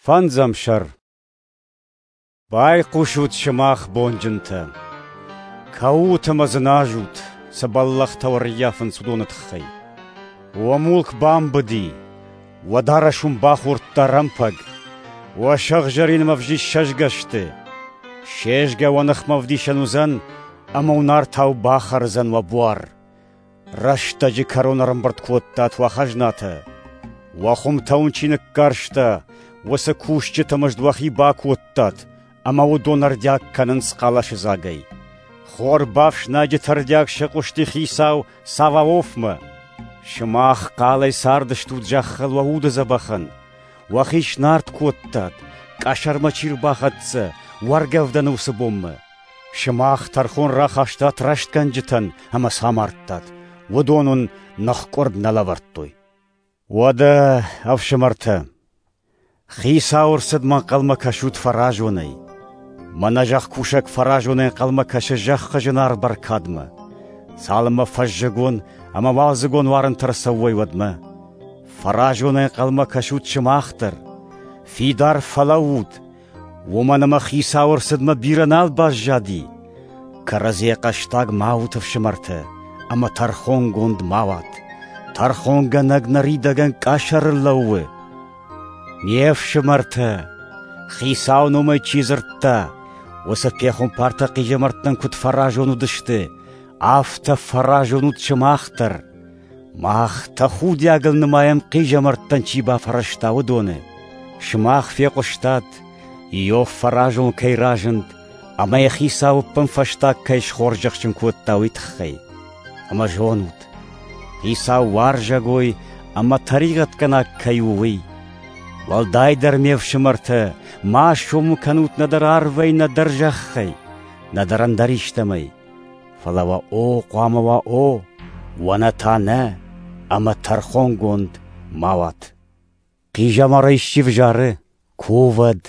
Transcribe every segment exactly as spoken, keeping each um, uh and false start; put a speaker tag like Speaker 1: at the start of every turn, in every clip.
Speaker 1: Фӕндзӕм сӕр. Байхъусут сымах, бонджынтӕ! Кӕут ӕмӕ дзыназут, цы бӕллӕхтӕ уӕ ӕрӕййафынц, уыдоны тыххӕй. Уӕ мулк бамбыди, уӕ дарӕс уын бахордта рӕмпӕг, уӕ сыгъзӕрин ӕмӕ ӕвзист сӕзгӕ сты. Се згӕ уӕ ныхмӕ ӕвдисӕн уыдзӕн ӕмӕ уын артау бахӕрдзӕн уӕ буар. Рӕстӕджы кӕрон ӕрӕмбырд кодтат уӕ хӕзнатӕ. Уӕ хуымтӕ уын чи ныккарста, уыцы кусджыты мызд уӕхи бакодтат, ӕмӕ уыдон ӕрдиаг кӕнынц хъӕлӕсыдзагӕй. Хор бафснайджыты ӕрдиаг сыхъуысти хицау Саваофмӕ. Сымах хъалӕй цардыстут зӕххыл уӕ уды дзӕбӕхӕн. Уӕхи снард кодтат, къӕсӕрмӕ чи рбахӕццӕ, уӕргӕвдӕны уыцы бонмӕ. Сымах тӕрхон рахастат рӕстгӕнджытӕн ӕмӕ сӕ амардтат. Уыдон уын ныхкъуырд нӕ лӕвӕрдтой. Уӕдӕ, ӕфсымӕртӕ, Хицауы ӕрцыдмӕ ӕнхъӕлмӕ кӕсут фӕразонӕй. Мӕнӕ зӕхкусӕг фӕразонӕй ӕнхъӕлмӕ кӕсы зӕххы зынаргъ бӕркадмӕ. Цалынмӕ фӕззыгон ӕмӕ уалдзыгон уарынтӕ ӕрцӕуой, уӕдмӕ. Фӕразонӕй ӕнхъӕлмӕ кӕсут сымах дӕр. Фидар фӕлӕуут, уымӕн ӕмӕ Хицауы ӕрцыдмӕ бирӕ нал баззади. Кӕрӕдзийӕ хъӕстаг ма ут, ӕфсымӕртӕ, ӕмӕ тӕрхонгонд ма уат. Тӕрхонгӕнӕг ныридӕгӕн къӕсӕрыл лӕууы. Ме фсымӕртӕ, Хицауы номӕй чи дзырдта, уыцы пехуымпартӕ хъизӕмӕрттӕн куыд фӕразон уыдысты, афтӕ фӕразон ут сымах дӕр. Мах тӕхудиагыл нымайӕм хъизӕмӕрттӕн чи бафӕрӕзта, уыдоны. Сымах фехъуыстат, Иов фӕразон кӕй разынд, ӕмӕ йӕ Хицау ӕппынфӕстаг кӕй схорзӕхджын кодта, уый тыххӕй. Ӕмӕ зонут, Хицау уарзӕгой ӕмӕ тӕригъӕдгӕнаг кӕй у, уый. Уӕлдайдӕр, ме фсымӕртӕ, ма сомы кӕнут нӕдӕр арвӕй, нӕдӕр зӕххӕй, нӕдӕр ӕндӕр истӕмӕй. Фӕлӕ уӕ о хъуамӕ уа о, уӕ нӕ та нӕ, ӕмӕ тӕрхонгонд ма уат. Хъизӕмарӕй исчи взары, кувӕд,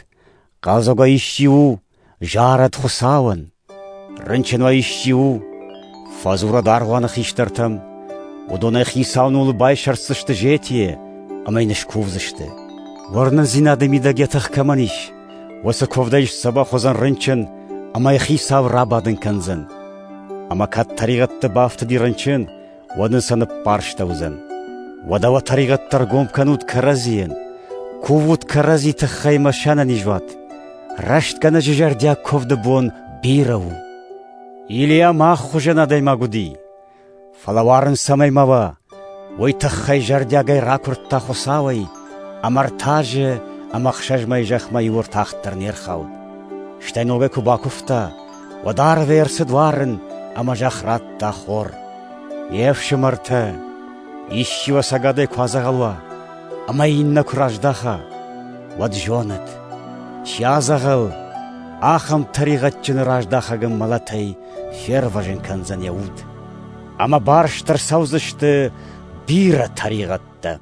Speaker 1: хъӕлдзӕгӕй исчи у, зарӕд Хуыцауӕн. Рынчын уӕ исчи у, фӕдзурӕд аргъуаны хистӕртӕм, уыдонӕй Хицауы номыл байсӕрддзысты зетийы ӕмӕ йын скувдзысты. Уырнындзинады мидӕг йӕ тых кӕмӕн ис, уыцы куывдӕй сдзӕбӕх уыдзӕн рынчын ӕмӕ йӕ Хицау рабадын кӕндзӕн. Ӕмӕ кӕд тӕригъӕдты бафтыди рынчын, уӕд ын сӕ ныппарстӕуыдзӕн. Уӕдӕ уӕ тӕригъӕдтӕ ӕргом кӕнут кӕрӕдзийӕн, кувут кӕрӕдзи тыххӕй ӕмӕ сӕнӕниз уат. Рӕстгӕнӕджы зӕрдиаг куывды бон бирӕ у. Илийа мах хуызӕн адӕймаг уыди, фӕлӕ уарын цӕмӕй ма уа, уый тыххӕй зӕрдиагӕй ракуырдта Хуыцауӕй, ӕмӕ ӕртӕ азы ӕмӕ ӕхсӕз мӕйы зӕхмӕ иу ӕртах дӕр не рхауд. Стӕй ногӕй куы бакуывта, уӕд арвӕй ӕрцыд уарын ӕмӕ зӕхх радта хор. Ме фсымӕртӕ, исчи уӕ ӕцӕгадӕй куы адзӕгъӕл уа ӕмӕ иннӕ куы раздаха, уӕд зонӕд, чи адзӕгъӕл, ахӕм тӕригъӕдджыны раздахӕгӕн мӕлӕтӕй фервӕзын кӕндзӕн йӕ уд. Ӕмӕ барст ӕрцӕудзысты бирӕ тӕригъӕдтӕ.